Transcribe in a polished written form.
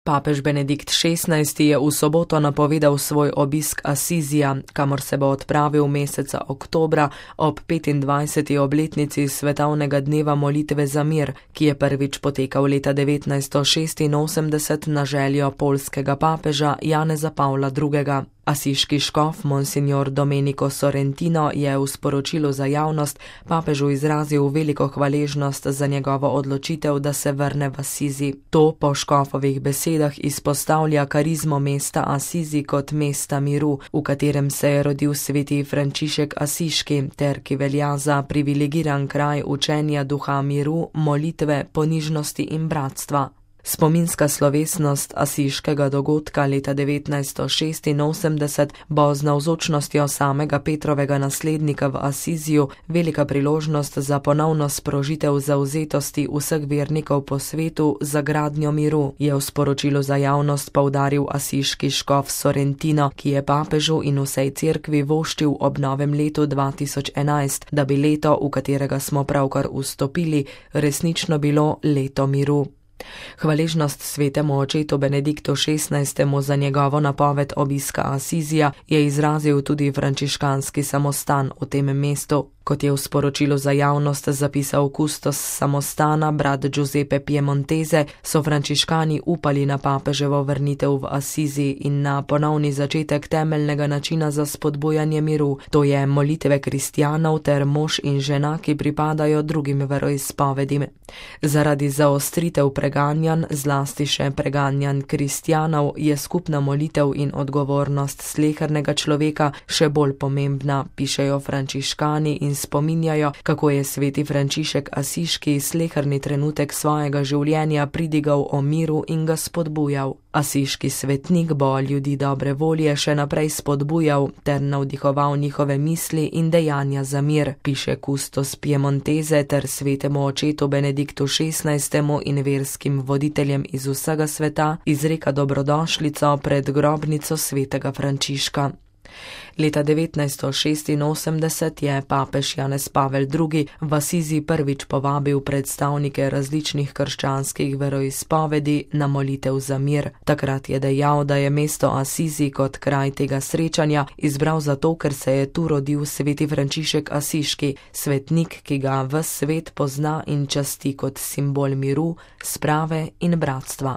Papež Benedikt XVI je v soboto napovedal svoj obisk Asizija, kamor se bo odpravil meseca oktobra ob 25. obletnici svetovnega dneva molitve za mir, ki je prvič potekal leta 1986 na željo poljskega papeža Janeza Pavla II. Asiški škof Monsignor Domenico Sorrentino je v sporočilu za javnost papežu izrazil veliko hvaležnost za njegovo odločitev, da se vrne v Asizi. To po škofovih besedah izpostavlja karizmo mesta Asizi kot mesta miru, v katerem se je rodil sveti Frančišek Asiški, ter ki velja za privilegiran kraj učenja duha miru, molitve, ponižnosti in bratstva. Spominska slovesnost asiškega dogodka leta 1986 bo z navzočnostjo samega Petrovega naslednika v Asiziju velika priložnost za ponovno sprožitev zavzetosti vseh vernikov po svetu za gradnjo miru, je v sporočilu za javnost poudaril asiški škof Sorrentino, ki je papežu in vsej cerkvi voščil ob novem letu 2011, da bi leto, v katerega smo pravkar vstopili, resnično bilo leto miru. Hvaležnost svetemu očetu Benediktu XVI za njegovo napoved obiska Asizija je izrazil tudi frančiškanski samostan v tem mestu. Kot je v sporočilu za javnost zapisal kustos samostana, brat Giuseppe Piemontese, so frančiškani upali na papeževo vrnitev v Asizi in na ponovni začetek temeljnega načina za spodbujanje miru, to je molitve kristjanov ter mož in žena, ki pripadajo drugim veroizpovedim. Zaradi zaostritev preganjanj, zlasti še preganjanj kristjanov, je skupna molitev in odgovornost slehernega človeka še bolj pomembna, pišejo frančiškani in spominjajo, kako je sveti Frančišek Asiški sleherni trenutek svojega življenja pridigal o miru in ga spodbujal. Asiški svetnik bo ljudi dobre volje še naprej spodbujal ter navdihoval njihove misli in dejanja za mir, piše kustos Piemontese ter svetemu očetu Benediktu XVI in verskim voditeljem iz vsega sveta izreka dobrodošlico pred grobnico svetega Frančiška. Leta 1986 je papež Janez Pavel II. V Asizi prvič povabil predstavnike različnih krščanskih veroizpovedi na molitev za mir. Takrat je dejal, da je mesto Asizi kot kraj tega srečanja izbral zato, ker se je tu rodil sveti Frančišek Asiški, svetnik, ki ga ves svet pozna in časti kot simbol miru, sprave in bratstva.